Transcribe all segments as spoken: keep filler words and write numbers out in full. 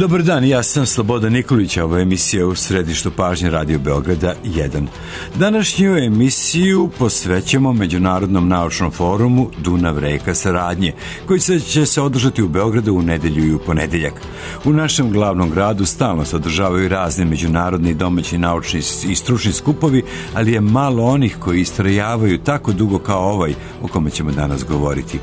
Dobar dan, ja sam Slobodan Nikolić, a ovo je emisija u središtu pažnje Radio Beograda jedan. Današnju emisiju posvećamo Međunarodnom naučnom forumu Dunav reka saradnje, koji se će se održati u Beogradu u nedelju i u ponedeljak. U našem glavnom gradu stalno se održavaju razni međunarodni i domaći naučni i stručni skupovi, ali je malo onih koji istrajavaju tako dugo kao ovaj o kome ćemo danas govoriti.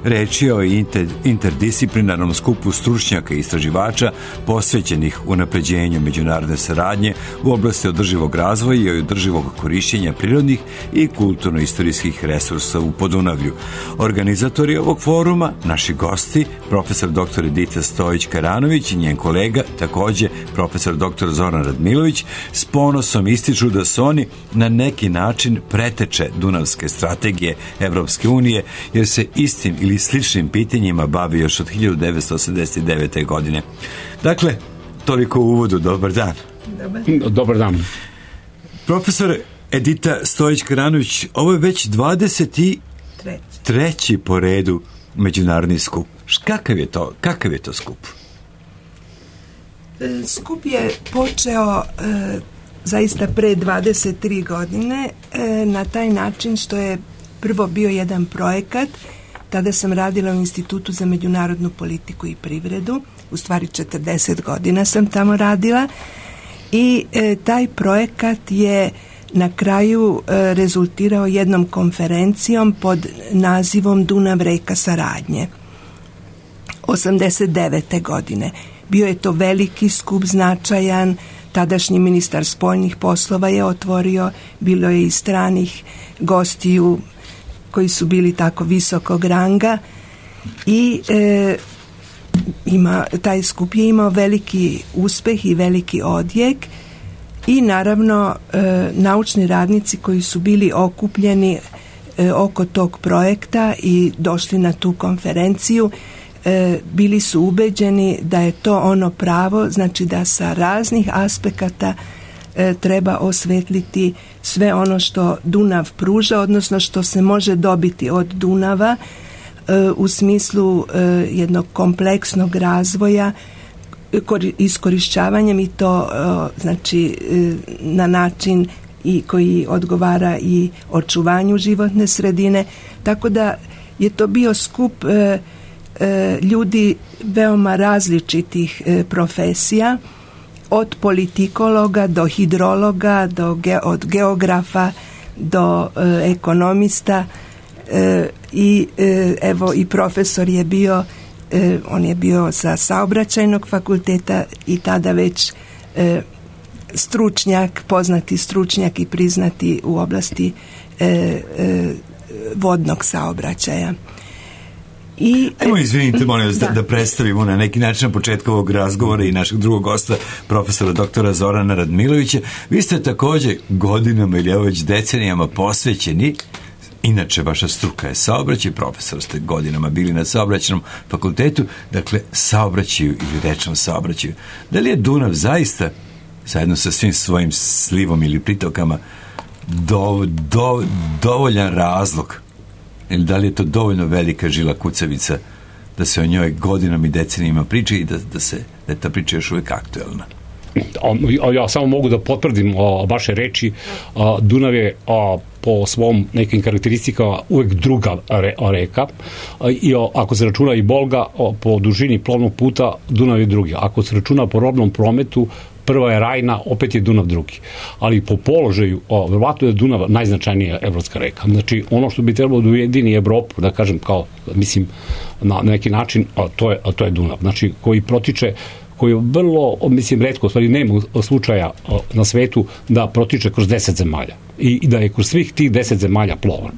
Reč je o inter, interdisciplinarnom skupu stručnjaka i istraživača posvećenih unapređenju međunarodne saradnje u oblasti održivog razvoja i održivog korišćenja prirodnih i kulturno-istorijskih resursa u Podunavlju. Organizatori ovog foruma, naši gosti, profesor doktor Edita Stojić-Karanović i njen kolega, takođe profesor doktor Zoran Radmilović, s ponosom ističu da su oni na neki način preteče Dunavske strategije Evropske unije, jer se istim ili sličnim pitanjima bavi još od hiljadu devetsto osamdeset devete. godine. Dakle, toliko u uvodu. Dobar dan. Dobar, Dobar dan. Profesor Edita Stojić-Karanović, ovo je već dvadeset treći po redu međunarodni skup. Kakav je to, kakav je to skup? Skup je počeo e, zaista pre dvadeset tri godine e, na taj način što je prvo bio jedan projekat. Tada sam radila u Institutu za međunarodnu politiku i privredu, u stvari četrdeset godina sam tamo radila i e, taj projekat je na kraju e, rezultirao jednom konferencijom pod nazivom Dunav reka saradnje osamdeset devete. godine. Bio je to veliki skup, značajan, tadašnji ministar spoljnih poslova je otvorio, bilo je i stranih gostiju koji su bili tako visokog ranga i e, ima, taj skup je imao veliki uspeh i veliki odjek i naravno e, naučni radnici koji su bili okupljeni e, oko tog projekta i došli na tu konferenciju e, bili su ubeđeni da je to ono pravo, znači da sa raznih aspekata e, treba osvetliti sve ono što Dunav pruža, odnosno što se može dobiti od Dunava e, u smislu e, jednog kompleksnog razvoja kor, iskorišćavanjem i to e, znači e, na način i koji odgovara i očuvanju životne sredine, tako da je to bio skup e, e, ljudi veoma različitih e, profesija, od politikologa do hidrologa, do ge, od geografa do e, ekonomista e, i e, evo i profesor je bio, e, on je bio sa saobraćajnog fakulteta i tada već e, stručnjak, poznati stručnjak i priznati u oblasti e, e, vodnog saobraćaja. I, Evo, izvinite, molim vas da, da predstavimo na neki način na početku ovog razgovora i našeg drugog gosta, profesora doktora Zorana Radmilovića. Vi ste takođe godinama ili evo već decenijama posvećeni, inače vaša struka je saobraćaj, profesor ste godinama bili na saobraćajnom fakultetu, dakle saobraćaju ili rečnom saobraćaju. Da li je Dunav zaista, zajedno sa svim svojim slivom ili pritokama, do, do, dovoljan razlog, ili da li je to dovoljno velika žila kucavica da se o njoj godinama i decenijima priča i da, da, se, da je ta priča još uvijek aktuelna? Ja samo mogu da potvrdim o, vaše reči. A, Dunav je a, po svom nekim karakteristikama uvek druga re, reka a, i o, ako se računa i Bolga o, po dužini plovnog puta, Dunav je drugi. Ako se računa po robnom prometu, prva je Rajna, opet je Dunav drugi. Ali po položaju, o, verovatno je Dunav najznačajnija evropska reka. Znači, ono što bi trebalo da ujedini Evropu, da kažem kao, mislim, na neki način, a to je, a to je Dunav. Znači, koji protiče, koji je vrlo, mislim, retko, stvari nema slučaja na svetu da protiče kroz deset zemalja. I, i da je kroz svih tih deset zemalja plovan.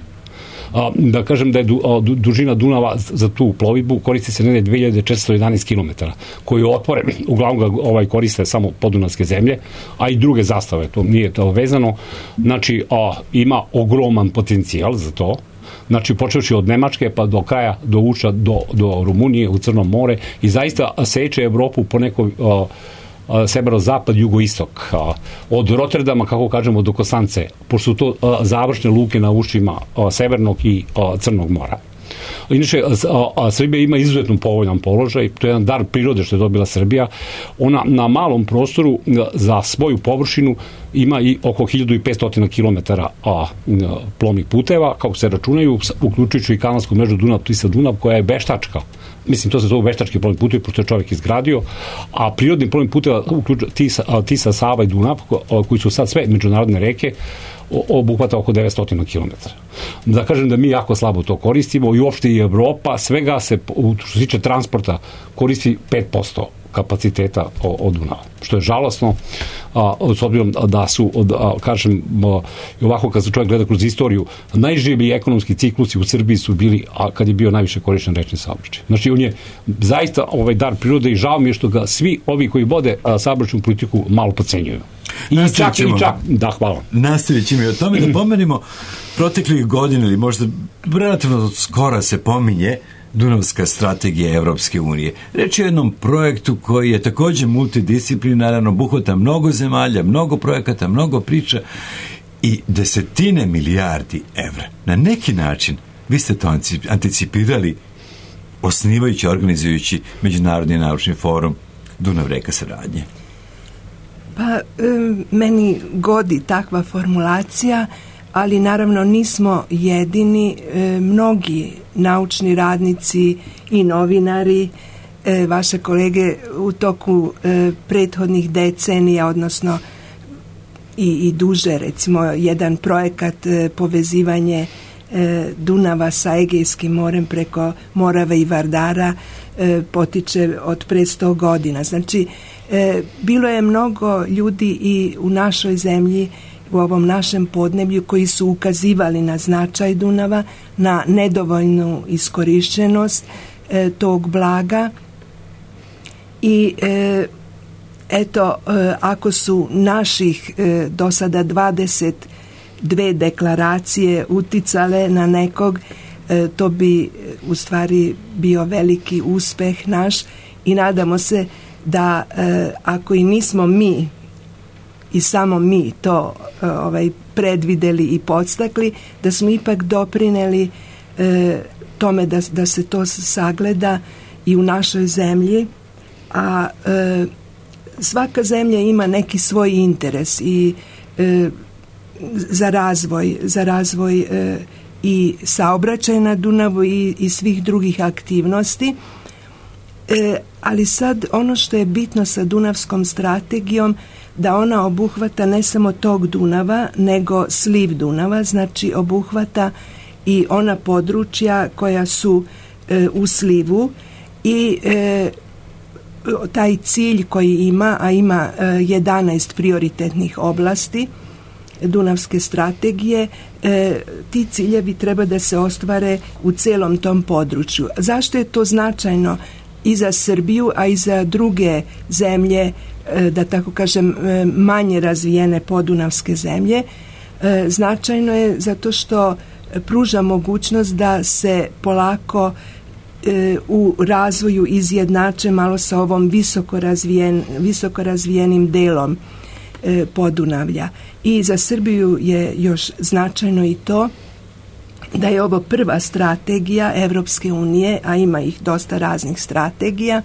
A, da kažem da je du, a, du, dužina Dunava za tu plovidbu koristi se negde dve hiljade četiristo jedanaest kilometara, koji je otvoren, uglavnom ga ovaj koriste samo podunavske zemlje, a i druge zastave, to nije to vezano. Znači, a, ima ogroman potencijal za to. Znači, počevši od Nemačke pa do kraja, do Uča, do, do Rumunije, u Crnom more, i zaista seče Evropu po nekoj a, severozapad, jugoistok, od Rotterdama, kako kažemo, do Kosance, pošto su to završne luke na ušima Severnog i Crnog mora. Inače, a, a Srbija ima izuzetno povoljan položaj, to je jedan dar prirode što je dobila Srbija. Ona na malom prostoru za svoju površinu ima i oko hiljadu petsto kilometara a, plovnih puteva, kako se računaju, uključujući i kanalsku mrežu Dunav-Tisa-Dunav, koja je veštačka. Mislim, to se zove veštački plovni putevi, pošto je čovjek izgradio, a prirodni plovni puteva Tisa, Tisa, Sava i Dunav, koji su sad sve međunarodne reke, obuhvata oko devetsto kilometara. Da kažem da mi jako slabo to koristimo i uopšte i Evropa, svega se, što se tiče transporta, koristi pet posto kapaciteta od Dunava, što je žalosno, a, s obzirom da su, od, a, kažem, a, i ovako kad se čovjek gleda kroz istoriju, najživiji ekonomski ciklusi u Srbiji su bili, a kad je bio najviše korišten rečni saobraćaj. Znači, on je zaista ovaj dar prirode i žao mi je što ga svi ovi koji vode saobraćajnu politiku malo podcenjuju. I čak, i čak, da, hvala. Nastavit ćemo i o tome da pomenimo proteklih godina ili možda relativno skoro se pominje Dunavska strategija Evropske unije. Reč je o jednom projektu koji je također multidisciplinaran, obuhvata mnogo zemalja, mnogo projekata, mnogo priča i desetine milijardi evra. Na neki način vi ste to anticipirali osnivajući, organizujući Međunarodni naučni forum Dunav-reka saradnje. Pa, meni godi takva formulacija, ali naravno nismo jedini. Mnogi naučni radnici i novinari, vaše kolege u toku prethodnih decenija, odnosno i, i duže, recimo jedan projekat povezivanje Dunava sa Egejskim morem preko Morave i Vardara potiče od pre sto godina. Znači, bilo je mnogo ljudi i u našoj zemlji, u ovom našem podneblju, koji su ukazivali na značaj Dunava, na nedovoljnu iskorišćenost e, tog blaga i e, eto, e, ako su naših e, do sada dvadeset dve deklaracije uticale na nekog, e, to bi u stvari bio veliki uspeh naš i nadamo se da e, ako i nismo mi i samo mi to ovaj, predvideli i podstakli, da smo ipak doprineli e, tome da, da se to sagleda i u našoj zemlji, a e, svaka zemlja ima neki svoj interes i e, za razvoj, za razvoj e, i saobraćaja na Dunavu i, i svih drugih aktivnosti. E, ali sad ono što je bitno sa Dunavskom strategijom, da ona obuhvata ne samo tog Dunava, nego sliv Dunava, znači obuhvata i ona područja koja su e, u slivu i e, taj cilj koji ima, a ima e, jedanaest prioritetnih oblasti Dunavske strategije, e, ti ciljevi treba da se ostvare u celom tom području. Zašto je to značajno i za Srbiju, a i za druge zemlje, da tako kažem, manje razvijene podunavske zemlje? Značajno je zato što pruža mogućnost da se polako u razvoju izjednače malo sa ovom visoko, razvijen, visoko razvijenim delom Podunavlja. I za Srbiju je još značajno i to da je ovo prva strategija Evropske unije, a ima ih dosta raznih strategija,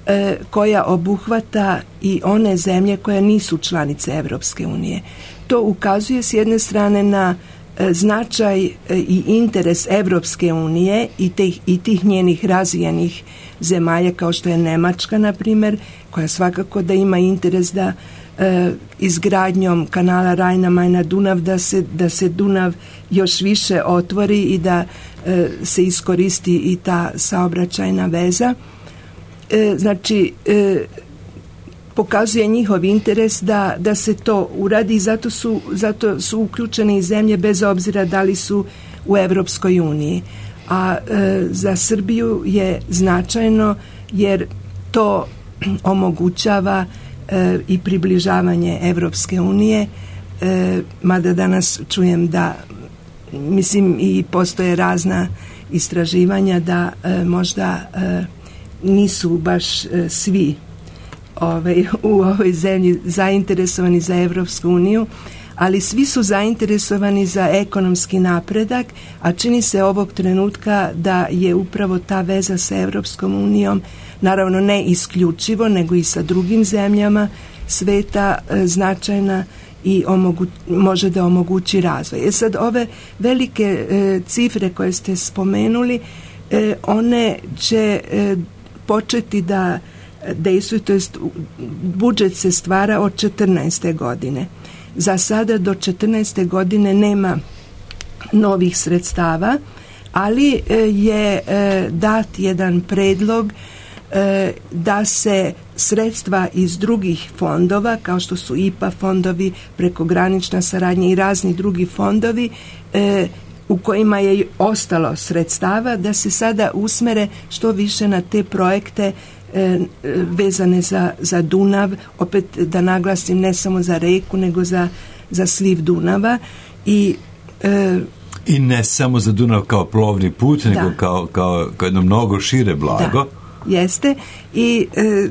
e, koja obuhvata i one zemlje koje nisu članice Evropske unije. To ukazuje s jedne strane na e, značaj e, i interes Evropske unije i tih, i tih njenih razvijenih zemalja, kao što je Nemačka, na primjer, koja svakako da ima interes da e, izgradnjom kanala Rajna-Majna-Dunav da se, da se Dunav još više otvori i da e, se iskoristi i ta saobraćajna veza. E, znači, e, pokazuje njihov interes da, da se to uradi i zato su, zato su uključene i zemlje bez obzira da li su u Evropskoj uniji. A e, za Srbiju je značajno jer to omogućava e, i približavanje Evropske unije, e, mada danas čujem da, mislim, i postoje razna istraživanja da e, možda e, nisu baš e, svi ovaj, u ovoj zemlji zainteresovani za Evropsku uniju, ali svi su zainteresovani za ekonomski napredak, a čini se ovog trenutka da je upravo ta veza sa Evropskom unijom, naravno ne isključivo, nego i sa drugim zemljama sveta e, značajna i omogu, može da omogući razvoj. E sad, ove velike e, cifre koje ste spomenuli, e, one će e, početi da dejstvuju, to jest budžet se stvara od četrnaeste godine. Za sada do četrnaeste godine nema novih sredstava, ali e, je e, dat jedan predlog e, da se sredstva iz drugih fondova, kao što su I P A fondovi, prekogranična saradnja i razni drugi fondovi, e, u kojima je ostalo sredstava, da se sada usmere što više na te projekte e, vezane za, za Dunav, opet da naglasim ne samo za reku, nego za, za sliv Dunava. I, e, I ne samo za Dunav kao plovni put, da. nego kao, kao, kao jedno mnogo šire blago. Da, jeste. I e,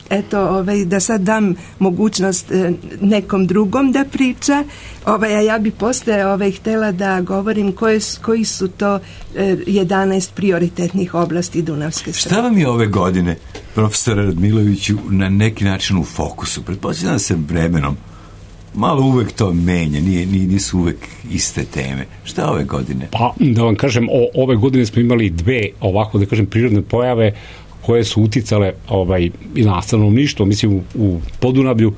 eto, ovaj, da sad dam mogućnost e, nekom drugom da priča, ovaj, a ja bi posle ovaj, htela da govorim koje, koji su to e, jedanaest prioritetnih oblasti Dunavske strategije. Šta vam je ove godine, profesore Radmiloviću, na neki način u fokusu? Pretpostavljam se vremenom malo uvek to menja, nije, nisu uvek iste teme. Šta ove godine? Pa, da vam kažem, o, ove godine smo imali dve, ovako da kažem, prirodne pojave koje su uticale ovaj, i na stanovništvo, mislim u, u Podunavlju,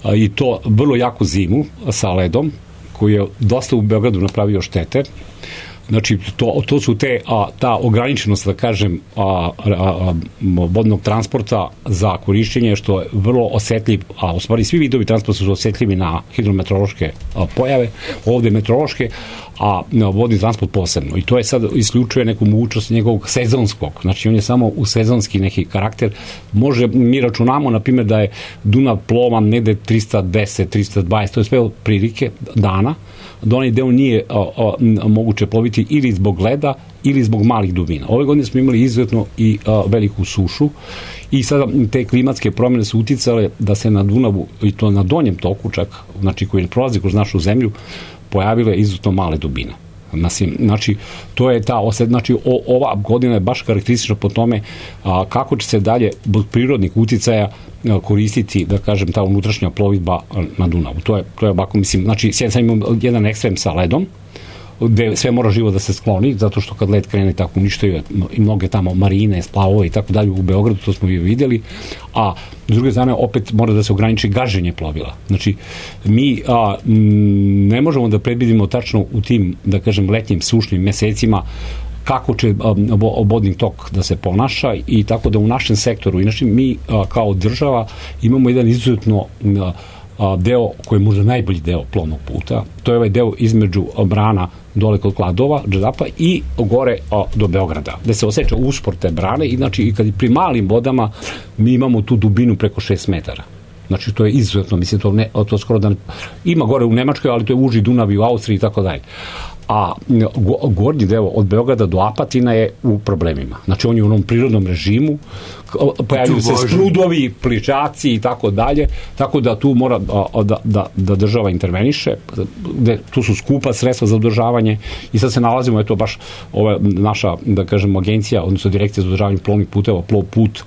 a, i to vrlo jako zimu sa ledom, koji je dosta u Beogradu napravio štete. Znači, to, to su te, a, ta ograničenost, da kažem, a, a, a, vodnog transporta za korišćenje, što je vrlo osetljiv, a u stvari svi vidovi transporta su osetljivi na hidrometeorološke a, pojave, ovde meteorološke, a a, vodni transport posebno. I to je sad isključuje neku mogućnost njegovog sezonskog, znači on je samo u sezonski neki karakter. Može, mi računamo, na primjer, da je Dunav plovan negde trista deset, trista dvadeset, to je sve prilike dana, da onaj deo nije a, a, moguće ploviti ili zbog leda ili zbog malih dubina. Ove godine smo imali izuzetno i a, veliku sušu i sada te klimatske promjene su uticale da se na Dunavu, i to na donjem toku čak, znači koji prolazi kroz našu zemlju, pojavile izuzetno male dubine. Znači, to je ta osed, znači o, ova godina je baš karakteristična po tome a, kako će se dalje zbog prirodnih uticaja a, koristiti, da kažem, ta unutrašnja plovidba na Dunavu. To je, to je ovako, mislim, znači, sad imamo jedan ekstrem sa ledom, gde sve mora živo da se skloni, zato što kad led krene tako uništaju i mnoge tamo marine, splavove i tako dalje u Beogradu, to smo i vidjeli, a s druge strane opet mora da se ograniči gaženje plovila. Znači, mi a, m, ne možemo da predvidimo tačno u tim, da kažem, letnjim sušnim mesecima kako će vodni tok da se ponaša, i tako da u našem sektoru, inače mi a, kao država imamo jedan izuzetno a, a, deo koji je možda najbolji deo plovnog puta, to je ovaj deo između brana dole kod Kladova, Džedapa i gore a, do Beograda, gde se osjeća uspor te brane, i znači i kad pri malim vodama mi imamo tu dubinu preko šest metara. Znači, to je izuzetno, mislim, to, ne, to skoro da ne, ima gore u Nemačkoj, ali to je uži Dunav i u Austriji i tako dalje. A gornji deo od Beograda do Apatina je u problemima. Znači, on je u onom prirodnom režimu, pojavljaju se sprudovi, pličaci i tako dalje, tako da tu mora da, da, da država interveniše, gde tu su skupa sredstva za održavanje, i sad se nalazimo, eto, baš ova naša, da kažem, agencija, odnosno direkcija za održavanje plovnih puteva, Plov put,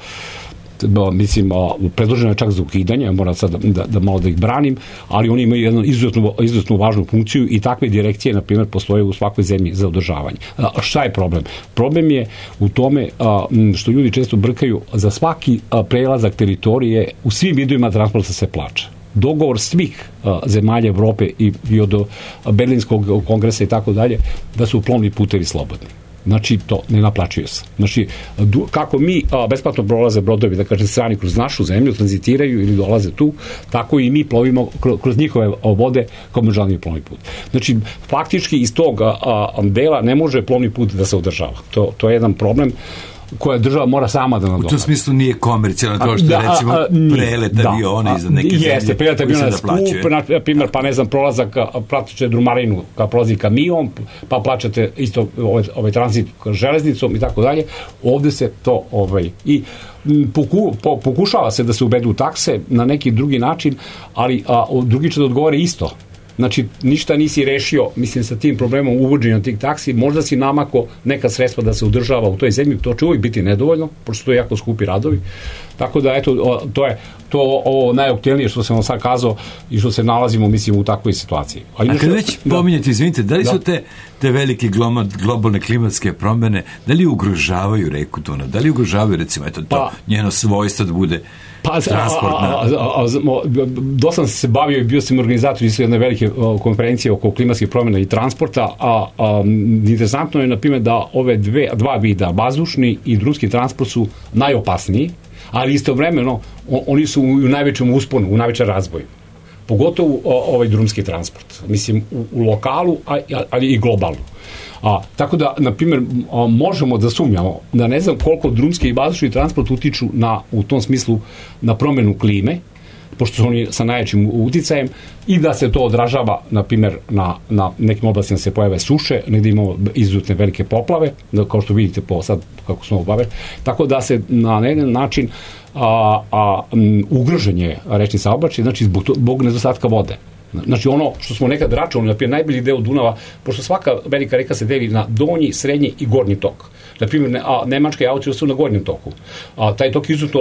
da, mislim, predloženo je čak za ukidanje, moram sad da, da, da malo da ih branim, ali oni imaju jednu izuzetnu, izuzetnu važnu funkciju, i takve direkcije, na primjer, postoje u svakoj zemlji za održavanje. A, šta je problem? Problem je u tome a, što ljudi često brkaju, za svaki a, prelazak teritorije u svim vidovima transporta se plaća. Dogovor svih a, zemalja Evrope i, i od Berlinskog kongresa i tako dalje, da su plovni putevi slobodni. Znači, to ne naplaćuje se. Znači, kako mi a, besplatno prolaze brodovi, da kažem, strani kroz našu zemlju, tranzitiraju ili dolaze tu, tako i mi plovimo kroz, kroz njihove vode kao međunarodni plovni put. Znači, faktički iz tog a, a, dela ne može plovni put da se održava. To, to je jedan problem koja država mora sama da nadoknadi. U tom smislu nije komercijalno, kao što da, recimo prelet da, aviona iza neke zemlje. Jeste, prelet aviona je skup, na primjer, pa ne znam, prolazak, plaćate drumarinu kad prolazi kamion, pa plaćate isto ovaj, ovaj tranzit železnicom i tako dalje. Ovde se to ovaj, i poku, po, pokušava se da se uvedu takse na neki drugi način, ali a, drugi će da odgovore isto. znači ništa nisi rešio, mislim, sa tim problemom uvođenja tih taksi, možda si namako neka sredstva da se udržava u toj zemlji, to će uvijek biti nedovoljno, pošto to je jako skupi radovi, tako da eto, to je to ovo najoptimalnije što sam vam sad kazao i što se nalazimo, mislim, u takvoj situaciji. A, A kad već da, pominjete, izvinite, da li su da. te, te velike globalne klimatske promjene, da li ugrožavaju reku Dunav, da li ugrožavaju, recimo, eto, to pa, njeno svojstvo da bude pa, transportna? Dosta sam se bavio i bio sam organizator iz jedne velike konferencije oko klimatskih promjena i transporta, a, a interesantno je, na primjer, da ove dve, dva vida, vazdušni i drumski transport su najopasniji, ali istovremeno oni su u najvećem usponu, u najvećem razvoju. Pogotovo ovaj drumski transport. Mislim, u, u lokalu, ali i globalno. A, tako da, na primjer, a, možemo da sumnjamo da ne znam koliko drumski i vazdušni transport utiču na, u tom smislu na promjenu klime, pošto su oni sa najvećim uticajem, i da se to odražava, na primjer, na, na nekim oblastima se pojave suše, negdje imamo izuzetne velike poplave, kao što vidite po sad kako smo obavili, tako da se na jedan način a, a, m, ugroženje rečni saobraćaj, znači zbog, zbog nedostatka vode. Znači ono što smo nekad računali, na primjer, najbolji deo Dunava, pošto svaka velika reka se deli na donji, srednji i gornji tok. Na primjer, ne, a, Nemačka i Austrija su na gornjem toku. A, taj tok je izuzetno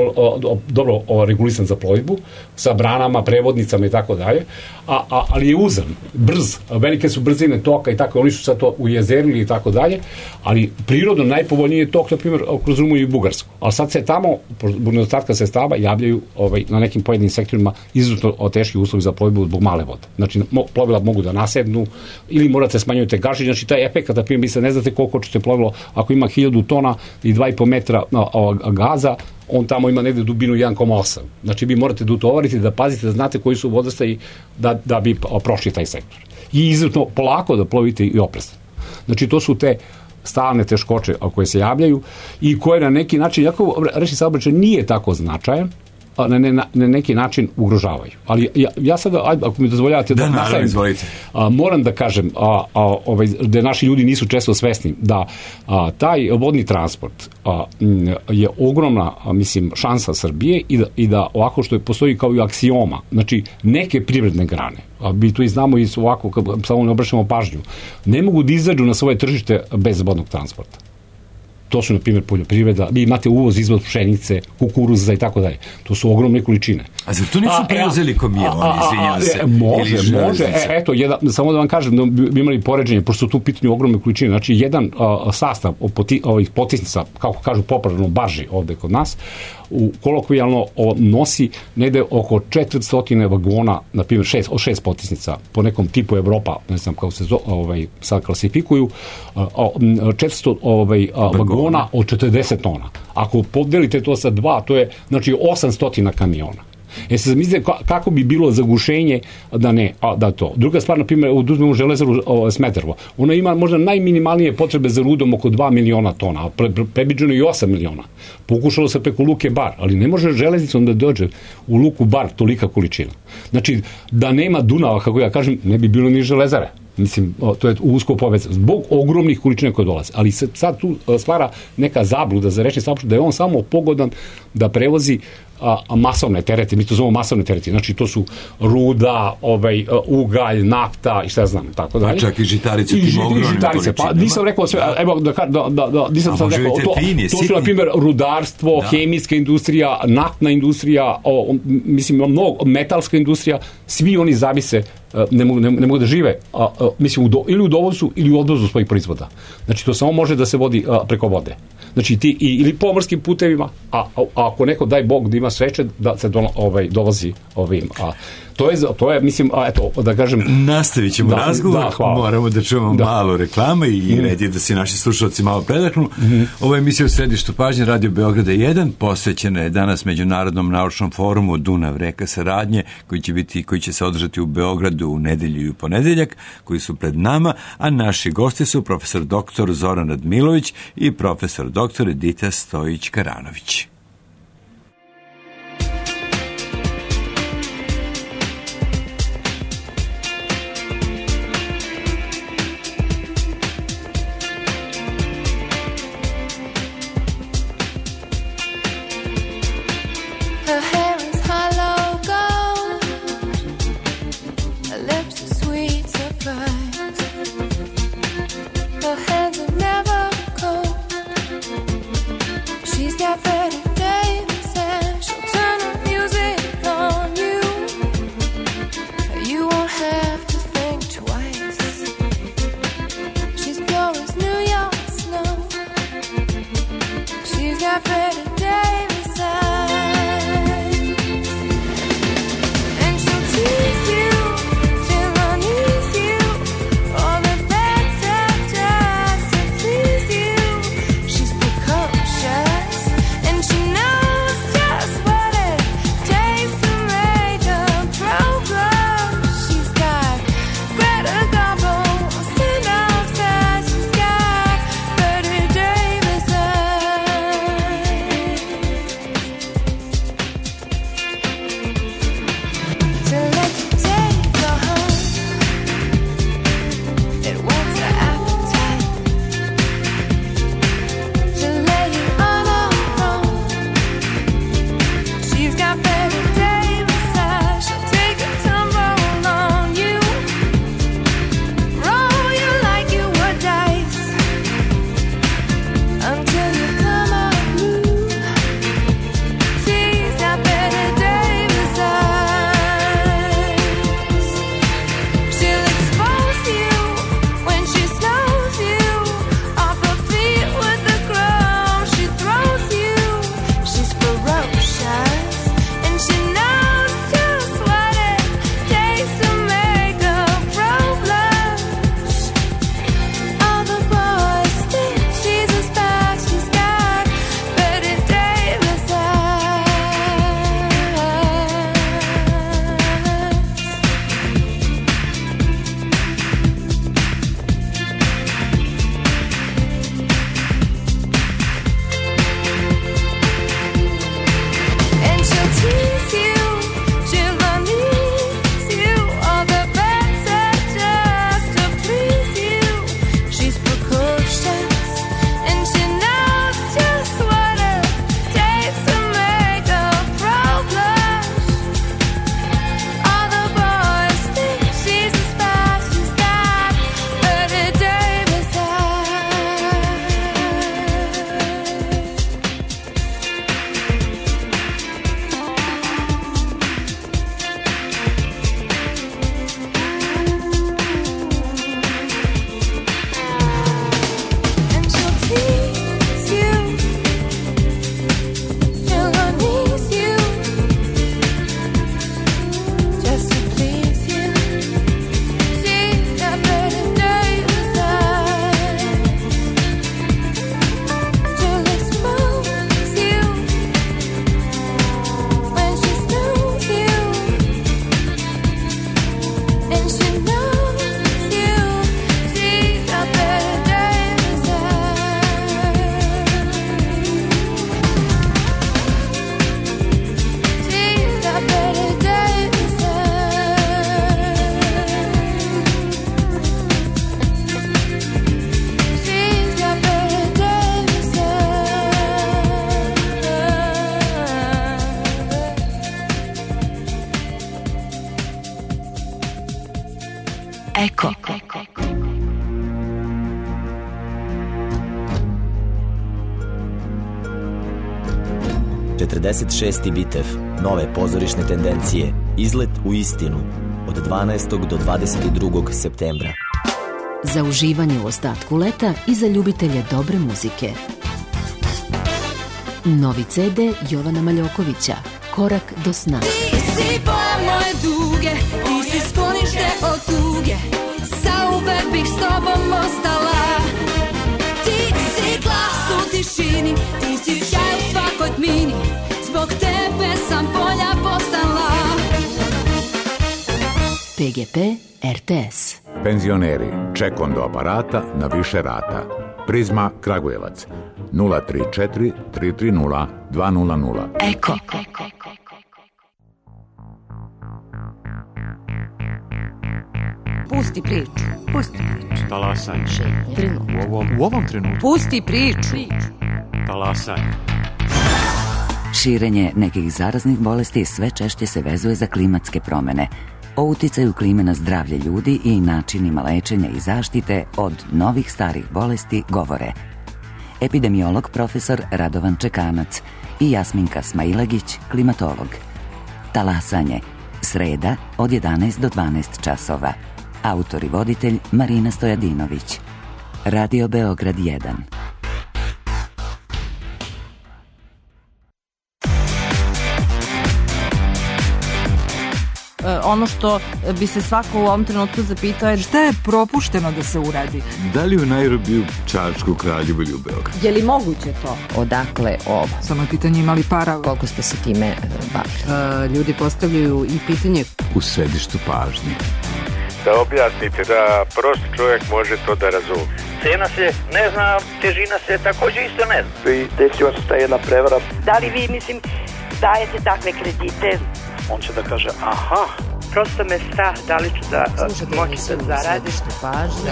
dobro o, regulisan za plovidbu, sa branama, prevodnicama i tako dalje, a, a, ali je uzan, brz, velike su brzine toka i tako, oni su sad to ujezerili i tako dalje, ali prirodno najpovoljniji je tok, na primjer, kroz Rumuniju i Bugarsku. Ali sad se tamo, zbog nedostatka sredstava, javljaju ovaj, na nekim pojedinim sektorima izuzetno teški uslovi za plovidbu zbog male vode. Znači, plovila mogu da nasednu ili morate smanjujete gaži, znači taj efekt, na primjer, vi se ne znate koliko ćete plovilo, ako ima hiljadu tona i dva i po metra gaza, on tamo ima negde dubinu jedan zarez osam. Znači, vi morate da utovarite, da pazite, da znate koji su vodostaji da, da bi prošli taj sektor. I izuzetno polako da plovite i oprezno. Znači, to su te stalne teškoće koje se javljaju i koje na neki način, jako rečni saobraćaj nije tako značajan, na, ne, na neki način ugrožavaju. Ali ja, ja sada, ako mi dozvoljavate da, da nastavim, a, moram da kažem a, a, ovaj, da naši ljudi nisu često svesni da a, taj vodni transport a, m, je ogromna, a, mislim, šansa Srbije i da, i da ovako što je postoji kao i aksioma, znači neke privredne grane, a mi to i znamo i ovako, kad samo ne obraćamo pažnju, ne mogu da izađu na svoje tržište bez vodnog transporta. To su, na primjer, poljoprivreda, vi imate uvoz, izvoz pšenice, kukuruza i tako dalje. To su ogromne količine. A zar to nisu preuzeli kamioni, izvinjam se? Može, može. E, eto, jedan, samo da vam kažem, da bi imali poređenje, pošto su tu pitanje ogromne količine. Znači, jedan a, sastav poti, ovih potisnica, kako kažu popularno, barži ovde kod nas, u kolokvijalno o, nosi negde oko četiristo vagona, na primjer, šest, od šest potisnica, po nekom tipu Evropa, ne znam kako se zo, ovaj, sad klasifikuju, četiristo ovaj, vagona od četrdeset tona. Ako podelite to sa dva, to je, znači, osamsto kamiona. E se zamislite kako bi bilo zagušenje da ne, a, da to. Druga stvar, na primjer, uzmemo železaru o, Smederevo. Ona ima možda najminimalnije potrebe za rudom oko dva miliona tona, a pre, pre, prebiđeno i osam miliona. Pokušalo se preko luke Bar, ali ne može železnicom da dođe u luku Bar tolika količina. Znači, da nema Dunava, kako ja kažem, ne bi bilo ni železare. Mislim, to je usko povezano, zbog ogromnih količina koje dolaze. Ali se sad tu stvara neka zabluda za rečni saobraćaj da je on samo pogodan da prevozi a, a masovne terete, mi to zovemo masovne terete, znači to su ruda, ovaj, ugalj, nafta i šta znam, tako dalje. Pa čak i žitarice, tim ogromnim količinama. Pa nisam rekao sve, evo da, da, da, da nisam sad rekao, to, pini, to su na primjer rudarstvo, da. Hemijska industrija, naftna industrija, o, mislim, mnogo, metalska industrija, svi oni zavise, ne mogu, ne, ne mogu da žive, a, a, mislim, u do, ili u dovozu ili u odvozu svojih proizvoda. Znači, to samo može da se vodi a, preko vode. Znači, ti, i, ili pomorskim putevima, a, a, a ako neko, daj Bog, da ima sreće, da se do, ovaj, dovozi ovim. A, to je, to je, mislim, a, eto, da kažem... Nastavit ćemo da, razgovor, da, moramo da čujemo da. malo reklama i mm. red je da se naši slušalci malo predahnu. Mm. Ova emisija u središtu pažnje Radio Beograda jedan posvećena je danas Međunarodnom naučnom forumu Dunav reka saradnje, koji će biti, koji će se održati u Beogradu u nedelju i u ponedeljak, koji su pred nama, a naši gosti su profesor doktor Zoran Radmilović i profesor doktor Edita Stojić-Karanović. Sweet. Eko. četrdeset šesti Bitev, nove pozorišne tendencije, izlet u istinu, od dvanaestog do dvadeset drugog septembra. Za uživanje u ostatku leta i za ljubitelje dobre muzike. Novi ce de Jovana Maljokovića, Korak do sna. Ti si boja moje duge, ti si sklonište od tuge, zauvek bih s tobom ostala. Ti si glas u tišini, ti si sjaj u svakoj tmini, zbog tebe sam bolja postala. pe ge pe er te es. Penzioneri, ček do aparata na više rata. Prizma Kragujevac nula tri četiri tri tri nula dva nula nula. Eko. Pusti priču. Pusti priču. Talasanje. U ovom, u ovom trenutku. Pusti priču. Talasanje. Širenje nekih zaraznih bolesti sve češće se vezuje za klimatske promene. O uticaju klime na zdravlje ljudi i načinima lečenja i zaštite od novih starih bolesti govore epidemiolog profesor Radovan Čekanac i Jasminka Smailagić, klimatolog. Talasanje, sreda od jedanaest do dvanaest časova. Autor i voditelj Marina Stojadinović. Radio Beograd jedan. ono što bi se svako u ovom trenutku zapitao je šta je propušteno da se uradi. Da li u Nairobiju, Čačku, Kraljevu ili u Beogradu? Je li moguće to? Odakle ovo? Samo je pitanje imali para. Koliko ste se time bavili? Uh, ljudi postavljaju i pitanje u središtu pažnje. Da objasnite, da prost čovjek može to da razumije. Cena se ne zna, težina se također isto ne zna. I desila se ta jedna prevara. Da li vi, mislim, dajete takve kredite? On će da kaže, aha. Prosto me strah, da li ću da moći da zaradim. U središtu pažnje.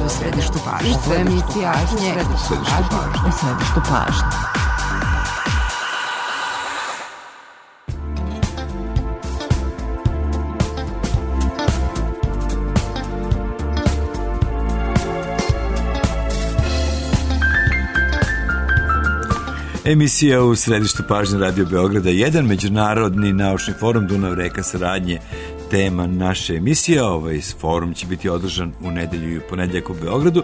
U središtu pažnje. U središtu pažnje. U središtu pažnje. Emisija u središtu pažnje Radio Beograda, jedan međunarodni naučni forum Dunav reka saradnje, tema naše emisije. Ovaj forum će biti održan u nedelju i ponedjeljak u Beogradu.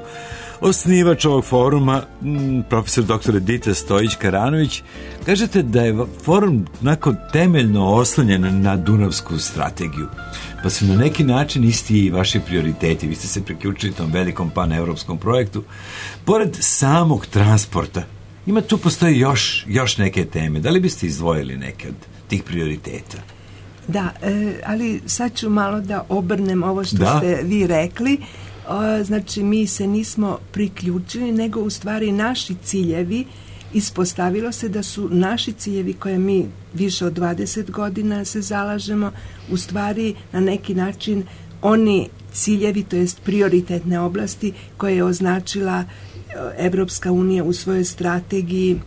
Osnivač ovog foruma, profesor doktor Edita Stojić-Karanović, kažete da je forum nakon temeljno oslonjen na Dunavsku strategiju, pa su na neki način isti i vaši prioriteti. Vi ste se priključili tom velikom paneuropskom projektu. Pored samog transporta, ima tu postoji još, još neke teme. Da li biste izdvojili neke od tih prioriteta? Da, e, ali sad ću malo da obrnem ovo što da? ste vi rekli. O, znači, mi se nismo priključili, nego u stvari naši ciljevi, ispostavilo se da su naši ciljevi koje mi više od dvadeset godina se zalažemo, u stvari na neki način oni ciljevi, to jest prioritetne oblasti koje je označila Evropska unija u svojoj strategiji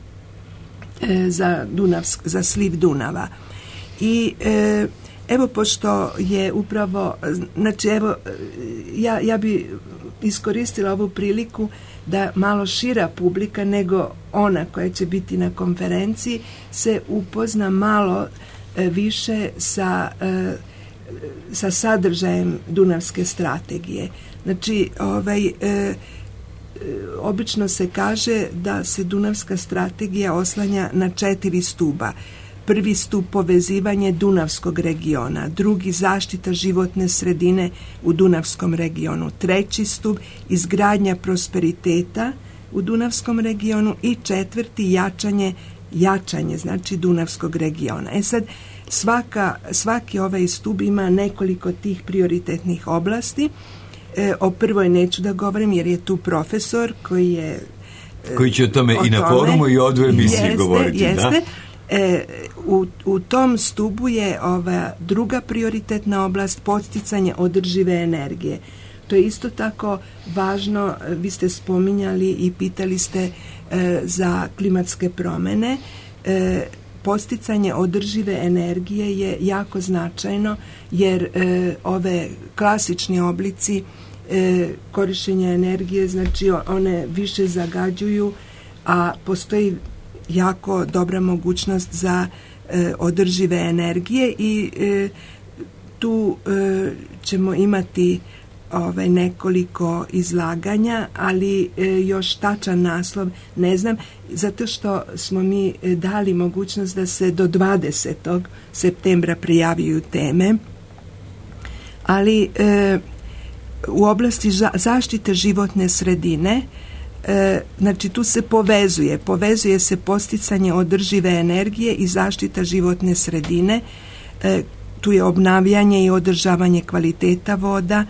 e, za, Dunavsk, za sliv Dunava. I e, evo, pošto je upravo, znači evo, ja, ja bi iskoristila ovu priliku da malo šira publika nego ona koja će biti na konferenciji se upozna malo e, više sa, e, sa sadržajem Dunavske strategije. Znači, ovaj... E, obično se kaže da se Dunavska strategija oslanja na četiri stuba. Prvi stup povezivanje Dunavskog regiona, drugi zaštita životne sredine u Dunavskom regionu, treći stup izgradnja prosperiteta u Dunavskom regionu i četvrti jačanje, jačanje znači Dunavskog regiona. E sad, svaka, svaki ovaj stup ima nekoliko tih prioritetnih oblasti. E, o prvoj neću da govorim jer je tu profesor koji je e, koji će o tome o i na tome, forumu i od emisiji jeste, govoriti. Jeste. Da? E, u, u tom stubu je ova druga prioritetna oblast podsticanje održive energije. To je isto tako važno, vi ste spominjali i pitali ste e, za klimatske promjene. E, Podsticanje održive energije je jako značajno jer e, ove klasični oblici e, korištenja energije, znači one više zagađuju, a postoji jako dobra mogućnost za e, održive energije i e, tu e, ćemo imati ovaj, nekoliko izlaganja, ali e, još tačan naslov ne znam, zato što smo mi dali mogućnost da se do dvadesetog septembra prijaviju teme, ali e, u oblasti ža- zaštite životne sredine, e, znači tu se povezuje, povezuje se podsticanje održive energije i zaštita životne sredine, e, tu je obnavljanje i održavanje kvaliteta voda,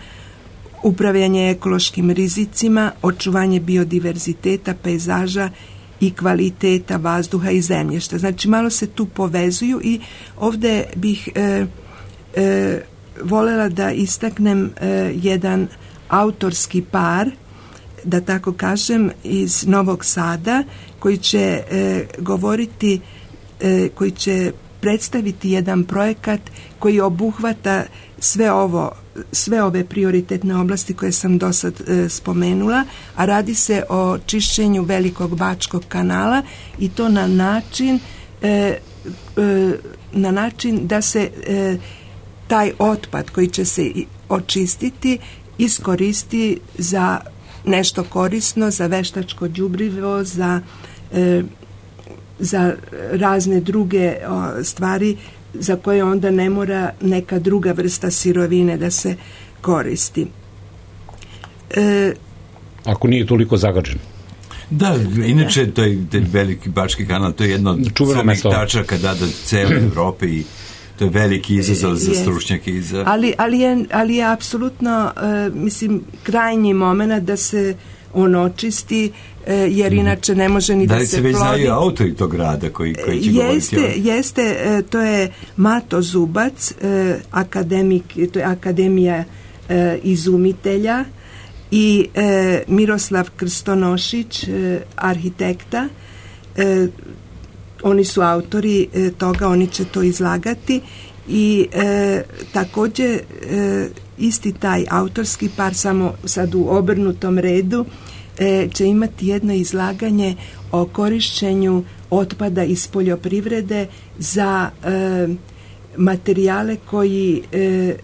upravljanje ekološkim rizicima, očuvanje biodiverziteta, pejzaža i kvaliteta vazduha i zemljišta. Znači, malo se tu povezuju i ovdje bih e, e, voljela da istaknem e, jedan autorski par, da tako kažem, iz Novog Sada, koji će e, govoriti, e, koji će predstaviti jedan projekat koji obuhvata sve ovo, sve ove prioritetne oblasti koje sam do sad e, spomenula, a radi se o čišćenju Velikog Bačkog kanala i to na način e, e, na način da se e, taj otpad koji će se očistiti iskoristi za nešto korisno, za veštačko đubrivo, za e, za razne druge o, stvari za koje onda ne mora neka druga vrsta sirovine da se koristi. E, Ako nije toliko zagađen. Da, inače to je veliki Bački kanal, to je jedno od samih tačaka da, da cele Evrope i to je veliki izazov za stručnjake i za... Ali, ali, je, ali je apsolutno, uh, mislim, krajnji moment da se on očisti, uh, jer inače ne može ni da, da se plodi. Da li se već plodi. znaju autori tog rada koji, koji će jeste, govoriti? Jeste, uh, to je Mato Zubac, uh, akademik, to je Akademija uh, izumitelja, i e, Miroslav Krstonošić, e, arhitekta. E, oni su autori e, toga, oni će to izlagati i e, također e, isti taj autorski par, samo sad u obrnutom redu, e, će imati jedno izlaganje o korišćenju otpada iz poljoprivrede za e, materijale koji e,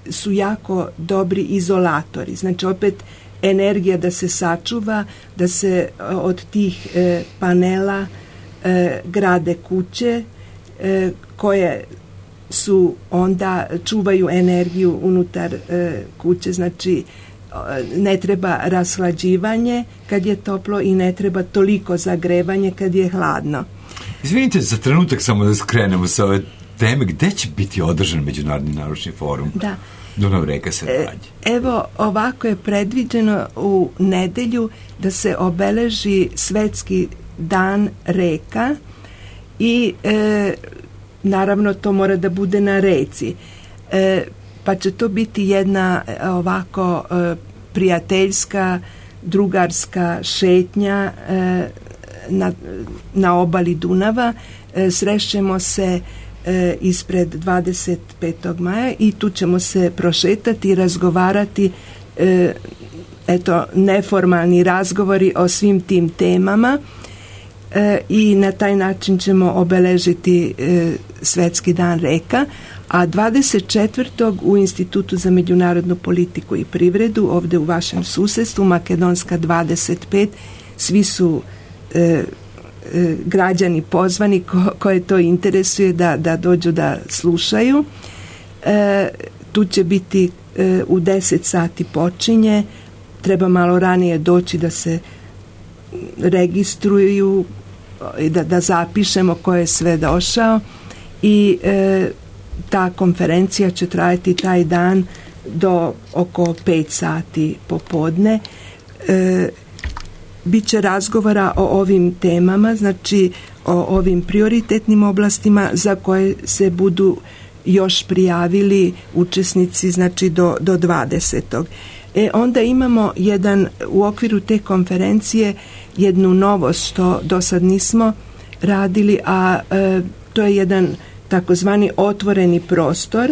su jako dobri izolatori. Znači opet energija da se sačuva, da se od tih e, panela e, grade kuće e, koje su onda čuvaju energiju unutar e, kuće, znači ne treba rashlađivanje kad je toplo i ne treba toliko zagrevanje kad je hladno. Izvinite za trenutak samo da skrenemo sa ove teme, gde će biti održan Međunarodni naučni forum? Da. Dunav reka saradnje. Evo, ovako je predviđeno u nedelju da se obeleži Svetski dan reka i e, naravno to mora da bude na reci. E, pa će to biti jedna ovako e, prijateljska, drugarska šetnja e, na, na obali Dunava. E, srešćemo se e, ispred dvadeset petog maja i tu ćemo se prošetati i razgovarati, e, eto, neformalni razgovori o svim tim temama e, i na taj način ćemo obeležiti e, Svetski dan reka. A dvadeset četvrtog u Institutu za međunarodnu politiku i privredu, ovde u vašem susedstvu, Makedonska dvadeset pet, svi su e, e, građani pozvani ko, koje to interesuje da, da dođu da slušaju. E, tu će biti e, u deset sati počinje, treba malo ranije doći da se registruju, da, da zapišemo ko je sve došao i e, ta konferencija će trajati taj dan do oko pet sati popodne. E, Biće razgovora o ovim temama, znači o ovim prioritetnim oblastima za koje se budu još prijavili učesnici, znači do, do dvadesetog E, onda imamo jedan, u okviru te konferencije, jednu novost što do sad nismo radili, a e, to je jedan takozvani otvoreni prostor,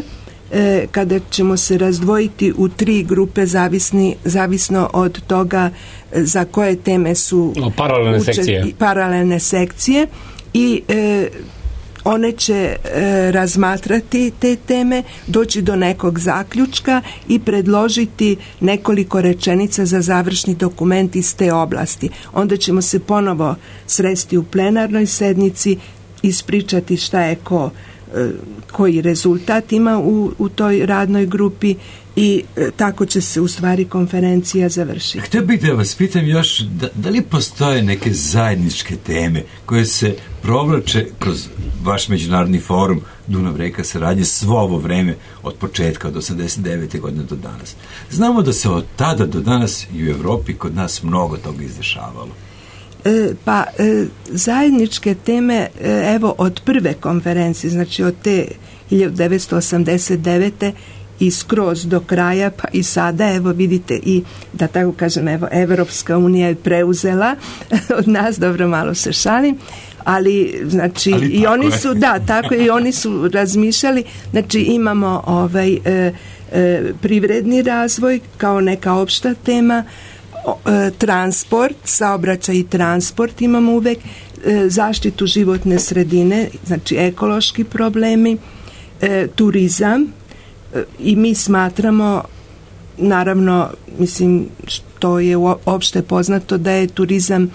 e, kada ćemo se razdvojiti u tri grupe zavisni, zavisno od toga za koje teme su paralelne uče, sekcije. Paralelne sekcije i e, one će e, razmatrati te teme, doći do nekog zaključka i predložiti nekoliko rečenica za završni dokument iz te oblasti. Onda ćemo se ponovo sresti u plenarnoj sednici, ispričati šta je ko, e, koji rezultat ima u, u toj radnoj grupi i e, tako će se u stvari konferencija završiti. Htio bih da vas pitam još, da, da li postoje neke zajedničke teme koje se provlače kroz vaš međunarodni forum Dunav reka saradnje svo ovo vreme od početka od osamdeset devete godine do danas? Znamo da se od tada do danas i u Evropi kod nas mnogo toga izdešavalo. E, pa e, zajedničke teme, e, evo od prve konferencije, znači od te hiljadu devetsto osamdeset devete i skroz do kraja, pa i sada, evo vidite, i da tako kažem, evo Evropska unija je preuzela od nas, dobro, malo se šalim, ali znači ali i oni su, je. da, tako i oni su razmišljali, znači imamo ovaj e, e, privredni razvoj kao neka opšta tema, e, transport, saobraćaj i transport imamo uvek, e, zaštitu životne sredine, znači ekološki problemi, e, turizam, i mi smatramo, naravno, mislim, što je opšte poznato da je turizam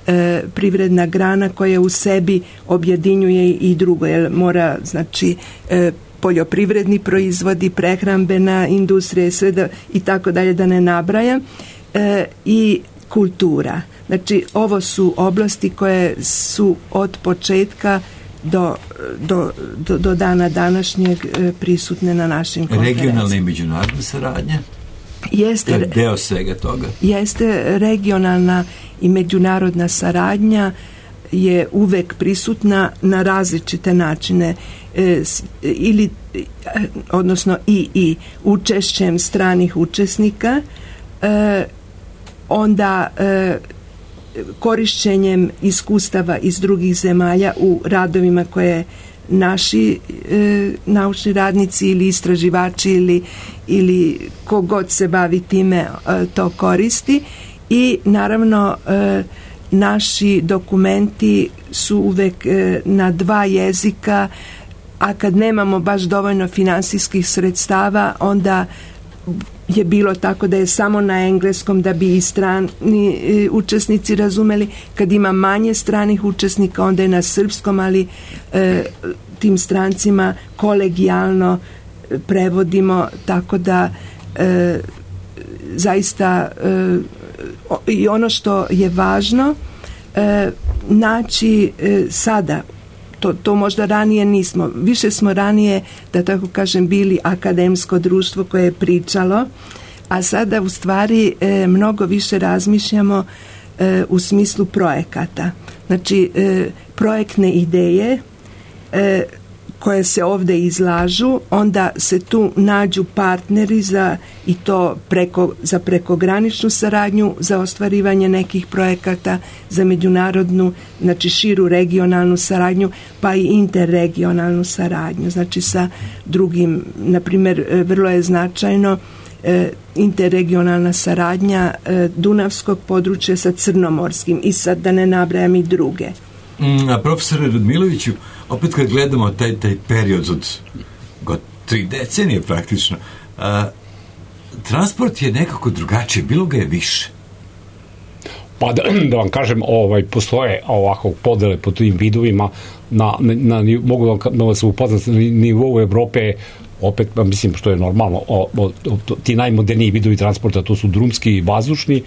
e, privredna grana koja u sebi objedinjuje i drugo, jer mora, znači, e, poljoprivredni proizvodi, prehrambena industrija, sve da, i tako dalje, da ne nabrajam, e, i kultura. Znači, ovo su oblasti koje su od početka do, do, do, do dana današnjeg e, prisutne na našim konferencijama. Regionalna i međunarodna saradnja? Jeste, to je deo svega toga. Jeste regionalna i međunarodna saradnja je uvek prisutna na različite načine, e, ili odnosno i i učešćem stranih učesnika, e, onda e, korišćenjem iskustava iz drugih zemalja u radovima koje naši e, naučni radnici ili istraživači ili, ili kogod se bavi time e, to koristi, i naravno e, naši dokumenti su uvek e, na dva jezika, a kad nemamo baš dovoljno finansijskih sredstava, onda je bilo tako da je samo na engleskom da bi i strani e, učesnici razumeli. Kad ima manje stranih učesnika, onda je na srpskom, ali e, tim strancima kolegijalno prevodimo, tako da e, zaista e, i ono što je važno e, naći e, sada, to, to možda ranije nismo, više smo ranije, da tako kažem, bili akademsko društvo koje je pričalo, a sada u stvari e, mnogo više razmišljamo e, u smislu projekata. Znači e, projektne ideje e, koje se ovdje izlažu, onda se tu nađu partneri za, i to preko, za prekograničnu saradnju, za ostvarivanje nekih projekata, za međunarodnu, znači širu regionalnu saradnju, pa i interregionalnu saradnju, znači sa drugim, na primjer, vrlo je značajno e, interregionalna saradnja e, Dunavskog područja sa Crnomorskim, i sad da ne nabrajam i druge. Mm, a profesore Radmiloviću, opet kad gledamo taj, taj period od god tri decenije praktično, a, transport je nekako drugačiji, bilo ga je više. Pa da, da vam kažem, ovaj, postoje ovako podele po tim vidovima, na, na, na, mogu vam, da vas upoznati, na nivou Evrope, opet, mislim, što je normalno, o, o, o, ti najmoderniji vidovi transporta, to su drumski i vazdušni.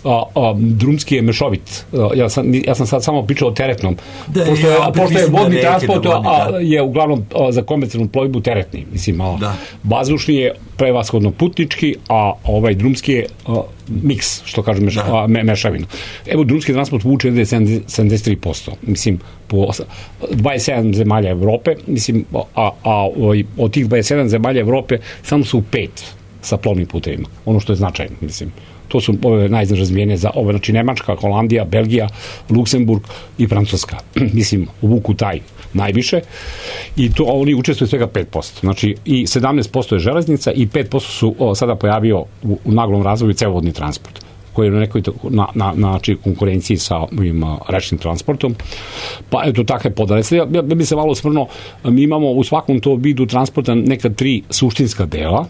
A, a, drumski je mešovit. A, ja, sam, ja sam sad samo pričao o teretnom. Da, pošto je, pošto je vodni transport, a, je uglavnom a, za komercijalnu plovidbu teretni. Mislim, a, vazdušni je prevashodno putnički, a ovaj drumski je a, miks, što kažem, meš, a, me, mešavina. Evo, drumski transport vuče sedamdeset tri posto. Mislim, po dvadeset sedam zemalja Evrope, mislim, a, a, a od tih dvadeset sedam zemalja Evrope samo su pet sa plovnim putevima. Ono što je značajno, mislim. To su ove najrazvijenije za ove, znači Nemačka, Holandija, Belgija, Luksemburg i Francuska. Mislim, u vuku taj najviše, i to oni učestvuju svega pet posto. Znači, i sedamnaest posto je železnica i pet posto su o, sada pojavio u, u naglom razvoju cevovodni transport, koji je na nekoj na, na, na konkurenciji sa ovim rečnim transportom. Pa eto, takve podale. Ja, ja bi se malo osvrnuo, mi imamo u svakom to vidu transporta neka tri suštinska dela.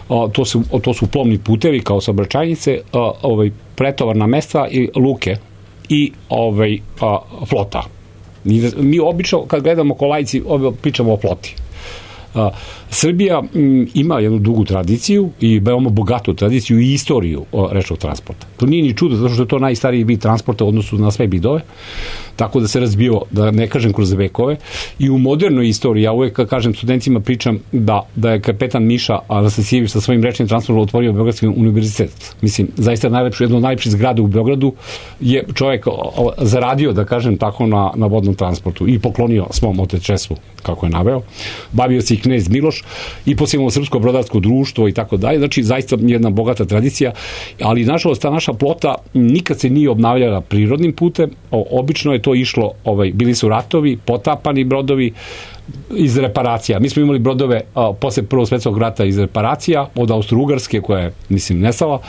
O, to su, o, to su plovni putevi kao saobraćajnice, o, ovaj, pretovarna mesta i luke i ovaj, a, flota. Mi, mi obično kad gledamo ko laici pričamo o floti. A, Srbija m, ima jednu dugu tradiciju i veoma bogatu tradiciju i istoriju o, rečnog transporta. To nije ni čudo, zato što je to najstariji vid transporta u odnosu na sve bidove, tako da se razbio, da ne kažem kroz vekove, i u modernoj istoriji, ja uvek kažem studentima, pričam da, da je kapetan Miša Anastasijević sa svojim rečnim transportom otvorio Beogradski univerzitet. Mislim, zaista najlepšu, jedno od najlepših zgrada u Beogradu je čovjek o, zaradio, da kažem tako, na, na vodnom transportu i poklonio svom otečestvu, kako je naveo. Bavio se i knez Miloš i poslije Srpsko brodarsko društvo i tako dalje. Znači, zaista jedna bogata tradicija, ali nažalost ta naša flota nikad se nije obnavljala prirodnim putem. O, obično je to išlo, ovaj, bili su ratovi, potapani brodovi iz reparacija. Mi smo imali brodove a, posle Prvog svjetskog rata iz reparacija, od Austro-Ugarske, koja je, mislim, nestala.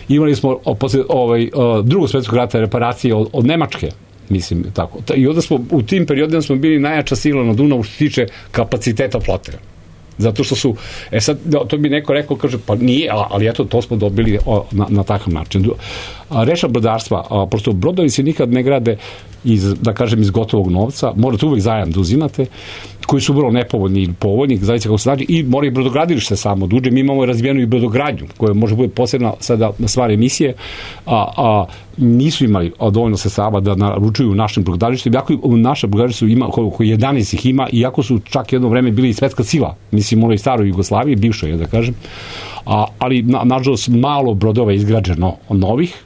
Imali smo a, posle ovaj, a, Drugog svjetskog rata reparacije od, od Nemačke. Mislim, tako. I onda smo, u tim periodima smo bili najjača sila na Dunavu što se tiče kapaciteta flote. Zato što su, e sad, to bi neko rekao, kaže, pa nije, ali eto, to smo dobili na, na takav način. Reša brodarstva, prosto brodovi se nikad ne grade iz, da kažem, iz gotovog novca, morate uvek zajam da uzimate, koji su vrlo nepovoljni ili povoljni, zavisno kako se znači, i mora i brodogradilište samo da uđe. Mi imamo razvijenu i brodogradnju, koja može bude posebna sada stvar emisije, a, a nisu imali dovoljno sredstava da naručuju našim brodogradilištima, iako naša brodogradilišta ima, oko jedanaest ih ima, iako su čak jedno vreme bili i svetska sila, mislim, ono i staroj Jugoslaviji, bivšoj, da kažem, a, ali na, nažalost malo brodova je izgrađeno novih,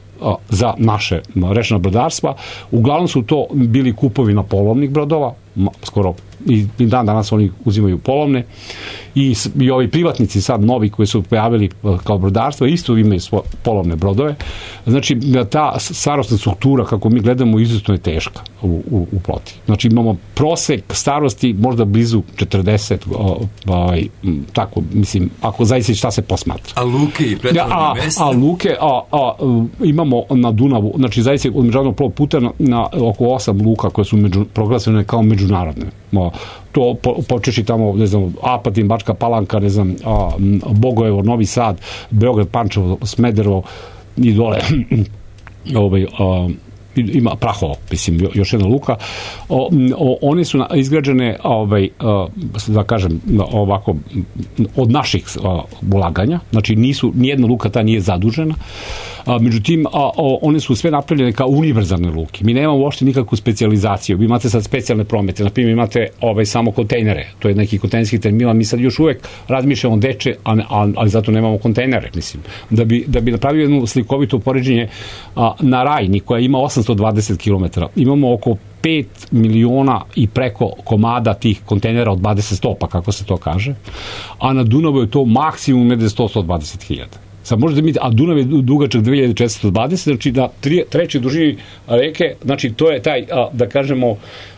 za naše rečna brodarstva. Uglavnom su to bili kupovi polovnih brodova, skoro i dan danas oni uzimaju polovne i, i ovi privatnici sad novi koji su pojavili kao brodarstvo isto imaju svoje polovne brodove. Znači ta starostna struktura kako mi gledamo izuzetno je teška u, u, u floti. Znači imamo prosek starosti možda blizu četrdeset, ovaj, tako mislim, ako zaista šta se posmatra. A luke i pretvorne mesta? A, a luke a, a, imamo na Dunavu, znači zaista od međunarodnog plovnog puta na, na oko osam luka koje su među, proglašene kao međunarodne. To po, počeši tamo, ne znam, Apatin, Bačka Palanka, ne znam, a, Bogojevo, Novi Sad, Beograd, Pančevo, Smederevo i dole ovaj, a, ima Prahovo, mislim, još jedna luka. O, o, one su izgrađene, ovaj, a, da kažem, ovako, od naših a, ulaganja, znači nisu, nijedna luka ta nije zadužena. A, međutim, a, o, one su sve napravljene kao univerzalne luke. Mi nemamo uopšte nikakvu specijalizaciju. Vi imate sad specijalne promete. Naprimjer, imate ovaj, samo kontejnere. To je neki kontejnerski terminal. Mi sad još uvek razmišljamo deče, a, a, ali zato nemamo kontejnere, mislim. Da bi, da bi napravio jedno slikovito poređenje a, na Rajni, koja ima osamsto dvadeset kilometara. Imamo oko pet miliona i preko komada tih kontejnera od dvadeset stopa, kako se to kaže. A na Dunavu je to maksimum negde sto do sto dvadeset hiljada. Sad možete mi, a Dunav je dugačak dve hiljade četiristo dvadeset, znači na tri, trećoj dužini reke, znači to je taj, a, da kažemo,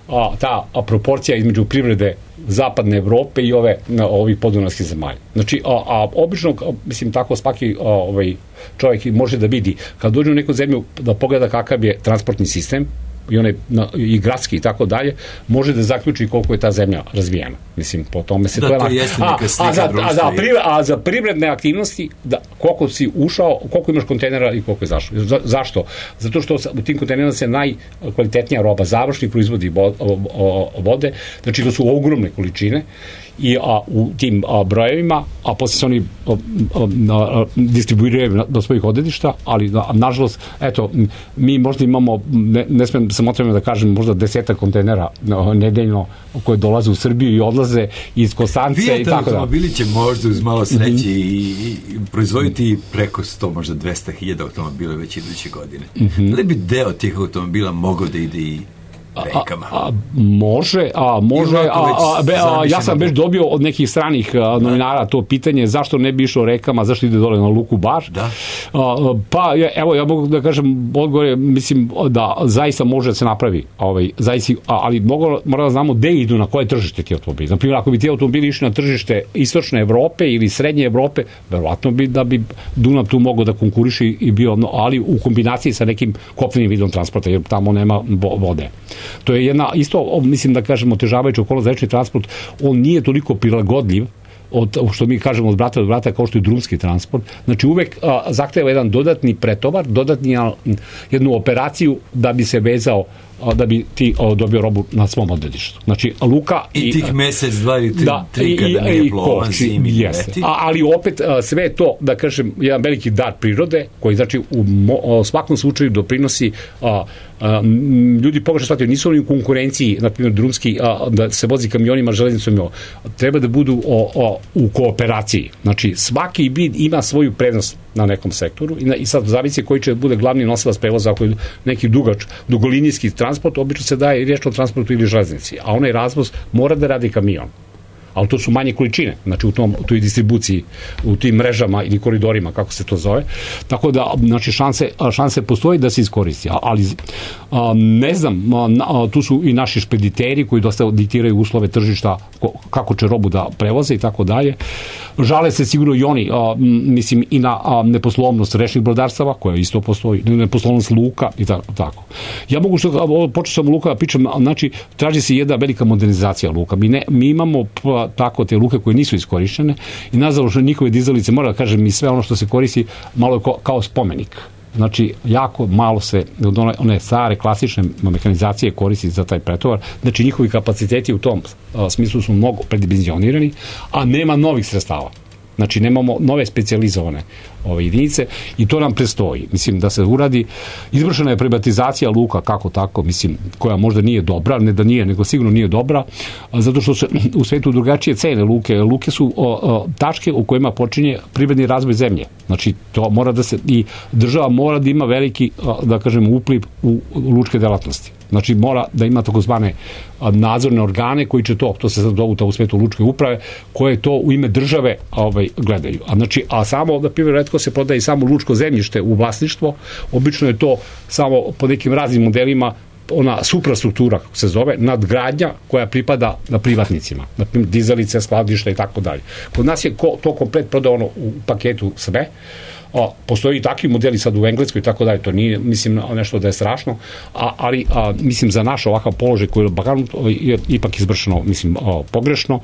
a, ta a, proporcija između privrede zapadne Evrope i ove na, ovih podunavskih zemalja. Znači, a, a obično, a, mislim, tako svaki a, ovaj, čovjek može da vidi, kad dođe u neku zemlju da pogleda kakav je transportni sistem, i onaj i gradski i tako dalje, može da zaključi koliko je ta zemlja razvijena. Mislim, po tome se da, to je... To jeste neka slika a, za, društva. A za, privre, a za privredne aktivnosti, da, koliko si ušao, koliko imaš kontejnera i koliko je zašao. Za, zašto? Zato što u tim kontejnerima se najkvalitetnija roba, završni proizvodi vode, znači to su ogromne količine i a, u tim a, brojevima, a posle se oni a, a, a, distribuiraju na, do svojih odredišta, ali na, nažalost, eto, mi možda imamo, ne, ne smem samo da kažem, možda desetak kontejnera a, nedeljno koje dolaze u Srbiju i odlaze iz Konstance i tako da. Vijete automobili će možda uz malo sreće mm-hmm. i, i proizvoditi preko sto, možda dvesta hiljada automobila već iduće godine. Mm-hmm. Da li bi deo tih automobila mogao da ide i rekama? A, a, može, a može, a, a, be, a, ja sam već dobio od nekih stranih a, novinara to pitanje zašto ne bi išao rekama, zašto ide dole na luku Bar. Da. A, pa, evo, ja mogu da kažem, odgovor mislim da zaista može da se napravi, ovaj, zaista, ali mogu, mora da znamo gde idu, na koje tržište ti automobili. Naprimjer, ako bi ti automobili išli na tržište istočne Evrope ili srednje Evrope, verovatno bi da bi Dunav tu mogao da konkuriši i bio, ali u kombinaciji sa nekim kopnenim vidom transporta, jer tamo nema vode. To je jedna, isto, mislim da kažemo, otežavajuća okolnost za rečni transport, on nije toliko prilagodljiv od, što mi kažemo od brata do brata kao što je drumski transport. Znači uvek a, zahteva jedan dodatni pretovar, dodatni a, jednu operaciju da bi se vezao, a, da bi ti a, dobio robu na svom odredištu. Znači luka i, i tih mesec, dva ili tri, da, tri kada nije plovan, zimi i leti. Ali opet a, sve to, da kažem, jedan veliki dar prirode koji znači u mo, svakom slučaju doprinosi a, a, ljudi pogrešno shvataju, nisu oni u konkurenciji, na primjer drumski, a, da se vozi kamionima, železnicom, jo. Treba da budu o, o, u kooperaciji. Znači svaki vid ima svoju prednost na nekom sektoru i, na, i sad zavisi koji će bude glavni nosilac prevoza, ako je neki dugač, dugolinijski transport, obično se daje i riječ o transportu ili železnici, a onaj razvoz mora da radi kamion. Ali to su manje količine, znači u, tom, u toj distribuciji, u tim mrežama ili koridorima, kako se to zove. Tako da, znači, šanse, šanse postoji da se iskoristi. Ali, a, ne znam, a, tu su i naši špediteri koji dosta diktiraju uslove tržišta, kako će robu da prevoze i tako dalje. Žale se sigurno i oni, a, mislim, i na a, neposlovnost rečnih brodarstava, koja isto postoji, neposlovnost luka i tako. tako. Ja mogu što, počeo sam luka da pričam, znači, traži se jedna velika modernizacija luka. Mi, ne, mi imamo ima tako te luke koje nisu iskorišćene i nažalost njihove dizalice, mora da kažem, i sve ono što se koristi malo je kao, kao spomenik. Znači, jako malo se od one, one stare klasične mehanizacije koristi za taj pretovar. Znači, njihovi kapaciteti u tom a, smislu su mnogo predimenzionirani, a nema novih sredstava. Znači, nemamo nove specijalizovane ove jedinice i to nam prestoji. Mislim, da se uradi, izvršena je privatizacija luka, kako tako, mislim, koja možda nije dobra, ne da nije, nego sigurno nije dobra, zato što se u svetu drugačije cene luke. Luke su o, o, tačke u kojima počinje privredni razvoj zemlje. Znači, to mora da se, i država mora da ima veliki, da kažem, upliv u lučke delatnosti. Znači, mora da ima takozvane nadzorne organe koji će to, to se sad zovu u svetu lučke uprave, koje to u ime države ovaj, gledaju. A, znači, a samo, na primjer, retko se prodaje samo lučko zemljište u vlasništvo, obično je to samo po nekim raznim modelima ona suprastruktura, kako se zove, nadgradnja koja pripada na privatnicima, na primjer dizalice, skladišta i tako dalje. Kod nas je ko, to komplet prodano u paketu sve. A, postoji i takvi modeli sad u Engleskoj i tako dalje, to nije, mislim, nešto da je strašno, a, ali, a, mislim, za naš ovakav položaj koji je, je ipak izvršeno, mislim, a, pogrešno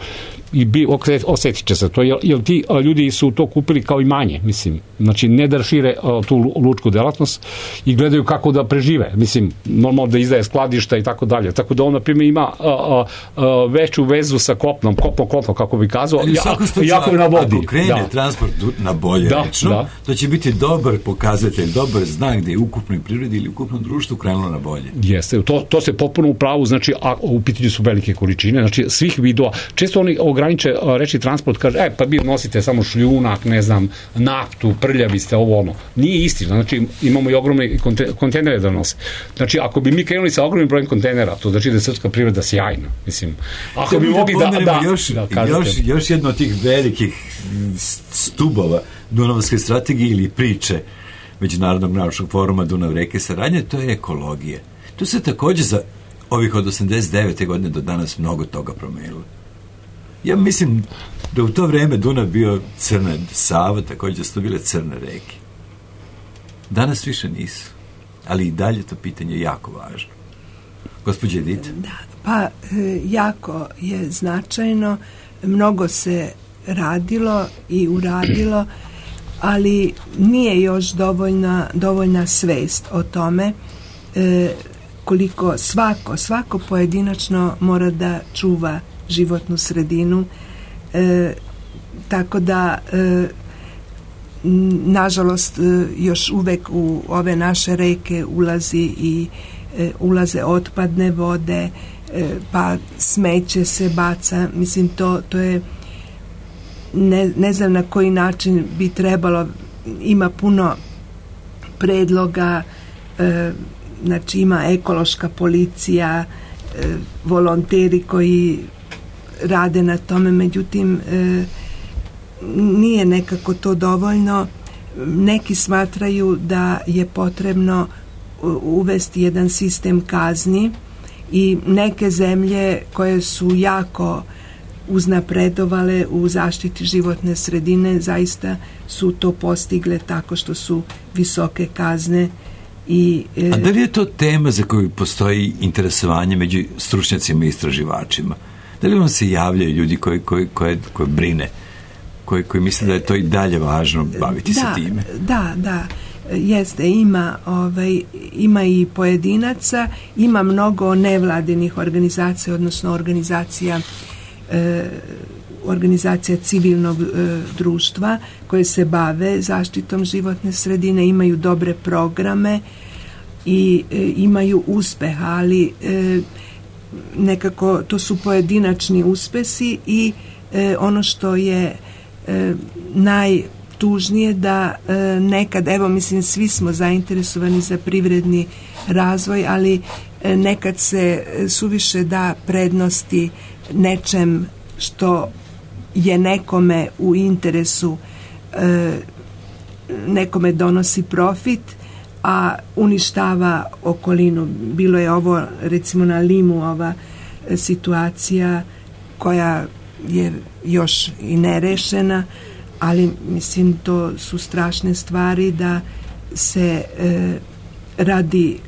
i bi, osjetit će se to, jer, jer ti a, ljudi su to kupili kao imanje, mislim, znači ne da šire a, tu lučku delatnost i gledaju kako da prežive, mislim, normalno da izdaje skladišta i tako dalje, tako da on, na primjer, ima a, a, a, veću vezu sa kopnom, kopno kopno, kako bi kazao, ja, jako je na vodi. Ako krene da. transport na bolje da, rečno, da. to će biti dobar pokazatelj, dobar znak da je ukupnoj prirodi ili ukupnom društvu krenulo na bolje. Jeste, to, to se potpuno u pravu, znači, a u pitanju su velike količine, znači, svih vidova. Često oni ograniče reči transport, kaže, e, pa vi nosite samo šljunak, ne znam, naftu, prljavi ste, ovo ono. Nije istina, znači, imamo i ogromne kontejnere da nose. Znači, ako bi mi krenuli sa ogromnim brojem kontejnera, to znači da je srpska privreda sjajna, mislim. Ako da bi mogli da, da, da, još, da još, još jedno od tih velikih stubova Dunavske strategije ili priče Međunarodnog naučnog foruma Dunav reke saradnje, to je ekologija. Tu se također za ovih od osamdeset devete godine do danas mnogo toga promenilo. Ja mislim da u to vreme Dunav bio crna, Sava također su to bile crne reke. Danas više nisu, ali i dalje to pitanje je jako važno. Gospođa Edita? Da, pa jako je značajno, mnogo se radilo i uradilo, ali nije još dovoljna, dovoljna svest o tome e, koliko svako, svako pojedinačno mora da čuva životnu sredinu, e, tako da e, nažalost e, još uvek u ove naše reke ulazi i e, ulaze otpadne vode, e, pa smeće se baca, mislim to, to je Ne, ne znam na koji način bi trebalo, ima puno predloga, e, znači ima ekološka policija, e, volonteri koji rade na tome, međutim e, nije nekako to dovoljno. Neki smatraju da je potrebno uvesti jedan sistem kazni i neke zemlje koje su jako uznapredovale u zaštiti životne sredine zaista su to postigle tako što su visoke kazne. I, e, A da li je to tema za koju postoji interesovanje među stručnjacima i istraživačima? Da li vam se javljaju ljudi koji, koji, koji, koji brine, koji, koji misle da je to i dalje važno baviti da, se time? Da, da. Jeste, ima, ovaj, ima i pojedinaca, ima mnogo nevladinih organizacija, odnosno organizacija organizacija civilnog e, društva koje se bave zaštitom životne sredine, imaju dobre programe i e, imaju uspeha, ali e, nekako to su pojedinačni uspesi i e, ono što je e, najtužnije da e, nekad, evo mislim svi smo zainteresovani za privredni razvoj, ali e, nekad se suviše da prednosti nečem što je nekome u interesu, e, nekome donosi profit, a uništava okolinu. Bilo je ovo recimo na Limu ova situacija koja je još i nerešena, ali mislim to su strašne stvari da se e, radi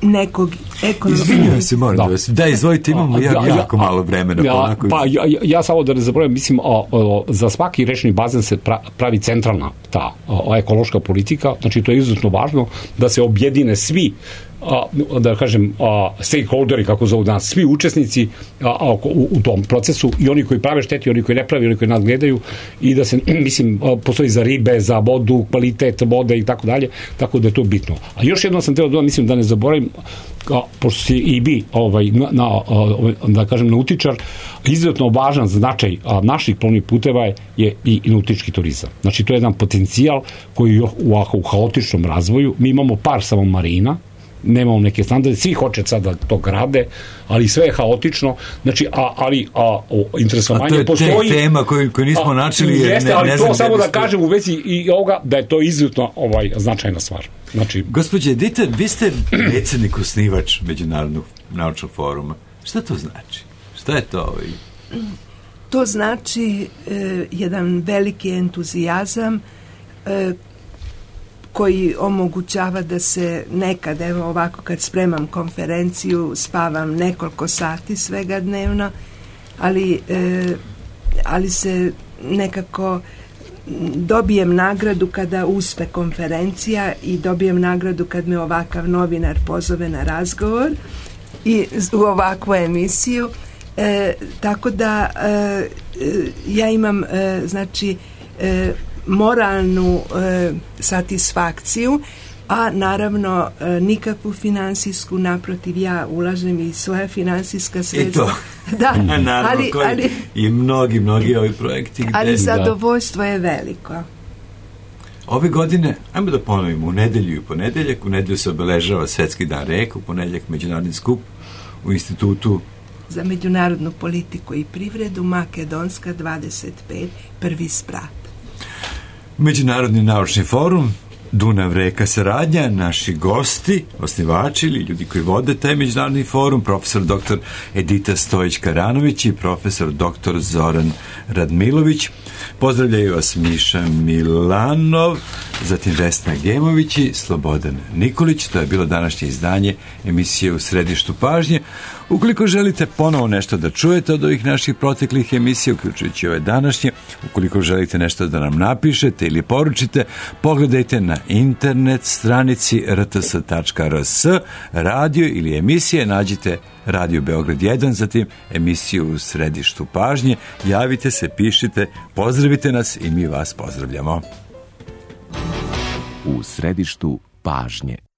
nekog ekonomskog... Izvinjujem se, moram da, da vas... Da, izvojite, imamo ja, ja, jako ja, malo vremena. Ja, onako... Pa ja, ja samo da ne zaboravim, mislim, o, o, za svaki rečni bazen se pra, pravi centralna ta o, ekološka politika, znači to je izuzetno važno da se objedine svi a, da kažem a, stakeholderi, kako zovu danas, svi učesnici a, a, u, u tom procesu, i oni koji prave šteti, oni koji ne pravi, oni koji nadgledaju, i da se, mislim, a, postoji za ribe, za vodu, kvalitet vode i tako dalje, tako da je to bitno. A još jedno sam trebao da mislim da ne zaboravim, kao, pošto si i bi ovaj, na, na, da kažem nautičar, izuzetno važan značaj a, naših plovnih puteva je, je i, i nautički turizam. Znači to je jedan potencijal koji je u, u haotičnom razvoju. Mi imamo par samo marina, nemamo neke standarde, svi hoće sad da to grade, ali sve je haotično, znači, a, ali a, o, interesovanje postoji. A to je te tema koju, koju nismo načeli. Jeste, ne, ali ne to samo da sto... kažem u vezi i ovoga, da je to izuzetno ovaj, značajna stvar. Znači... Gospođe Edita, vi ste predsjednik osnivač Međunarodnog naučnog foruma. Šta to znači? Šta je to? Ovaj? To znači e, jedan veliki entuzijazam e, koji omogućava da se nekad, evo ovako kad spremam konferenciju, spavam nekoliko sati svega dnevno, ali, e, ali se nekako dobijem nagradu kada uspe konferencija i dobijem nagradu kad me ovakav novinar pozove na razgovor i u ovakvu emisiju. E, tako da e, ja imam e, znači e, moralnu e, satisfakciju, a naravno e, nikakvu finansijsku, naprotiv, ja ulažem i svoja finansijska sredstva. I to. Da, naravno, ali, ali, i mnogi, mnogi ovi projekti. Gde... Ali zadovoljstvo je veliko. Ove godine, ajmo da ponovimo, u nedelju i ponedeljak, u nedelju se obeležava Svetski dan reka, u ponedeljak međunarodni skup u Institutu za međunarodnu politiku i privredu, Makedonska dvadeset pet, prvi sprat. Međunarodni naučni forum, Dunav reka saradnja, naši gosti, osnivači ili ljudi koji vode taj međunarodni forum, profesor doktor Edita Stojić-Karanović i profesor doktor Zoran Radmilović. Pozdravljaju vas Miša Milanov, zatim Vesna Gemović i Slobodan Nikolić. To je bilo današnje izdanje emisije U središtu pažnje. Ukoliko želite ponovo nešto da čujete od ovih naših proteklih emisija, uključujući ove današnje, ukoliko želite nešto da nam napišete ili poručite, pogledajte na internet stranici r t s tačka r s, radio ili emisije, nađite Radio Beograd jedan, zatim emisiju U središtu pažnje, javite se, pišite, pozdravite nas i mi vas pozdravljamo. U središtu pažnje.